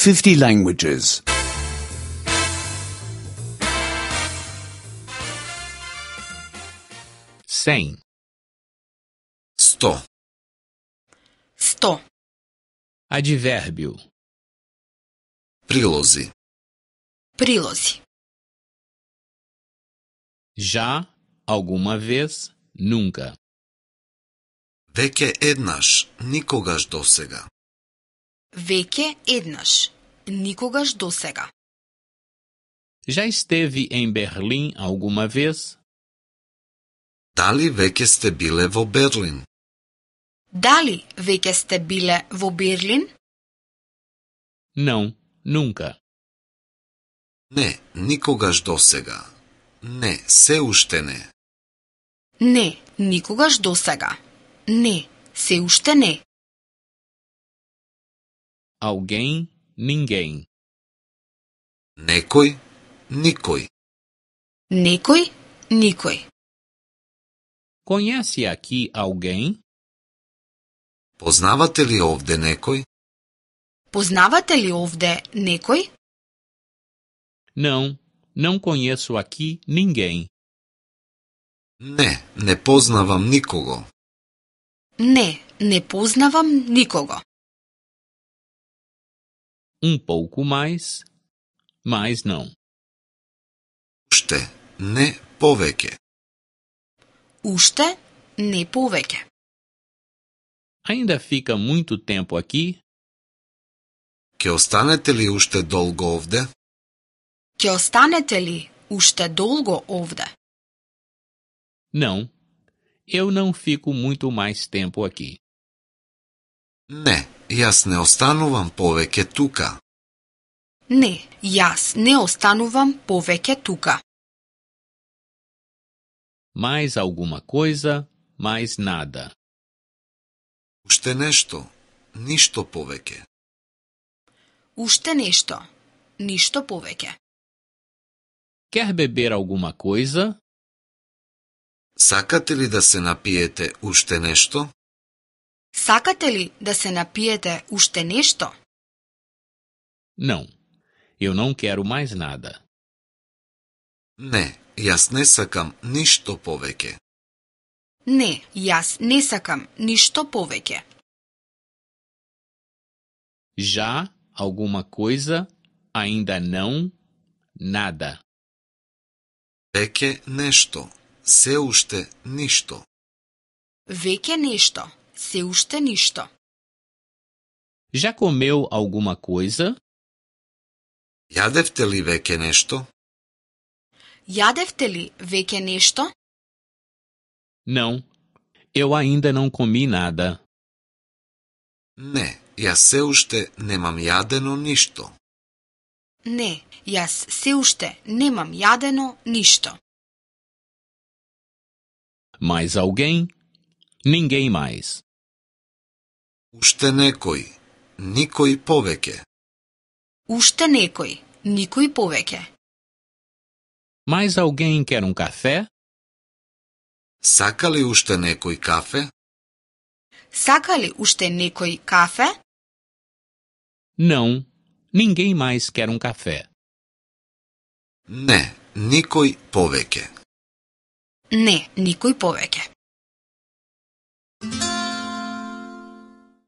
50 languages. 100. 100. 100. Advérbio. Прилози. Прилози. Já, alguma vez, nunca. Веќе еднаш, никогаш досега. Веќе еднаш. Никогаш досега. Já esteve em Berlim alguma vez? Дали веќе сте биле во Берлин? Дали веќе сте биле во Берлин? Não, nunca. Не, никогаш досега. Не, се уште не. Не, никогаш досега. Не, се уште не. Alguém, ninguém. Некој, никој. Некој, никој. Conhece aqui alguém? Познавате ли овде некој? Познавате ли овде некој? Não, não conheço aqui ninguém. Не, не познавам никого. Не, не познавам никого. Pouco mais, mas não. Уште, не повеќе. Уште, не повеќе. Ainda fica muito tempo aqui? Ќе останете ли уште долго овде? Ќе останете ли уште долго овде? Não, eu não fico muito mais tempo aqui. Не, јас не останувам повеќе тука. Не, јас не останувам повеќе тука. Mais alguma coisa, mais nada. Уште нешто, ништо повеќе. Уште нешто, ништо повеќе. Quer beber alguma coisa? Сакате ли да се напиете уште нешто? Сакате ли да се напиете уште нешто? Não, eu não quero mais nada. Не, јас не сакам ништо повеќе. Не, јас не сакам ништо повеќе. Já, alguma coisa, ainda não, nada. Веќе нешто, се уште ништо. Веќе нешто, се уште ништо. Já comeu alguma coisa? Јадевте ли веќе нешто? Јадевте ли веќе нешто? Não, eu ainda não comi nada. Не, јас се уште немам јадено ништо. Не, јас се уште немам јадено ништо. Mais alguém? Ninguém mais. Уште некој, никој повеќе. Уште некој, никој повеќе. Mais alguém quer café? Сака ли уште некој кафе? Сака ли уште некој кафе? Não, ninguém mais quer café. Не, никој повеќе. Не, никој повеќе.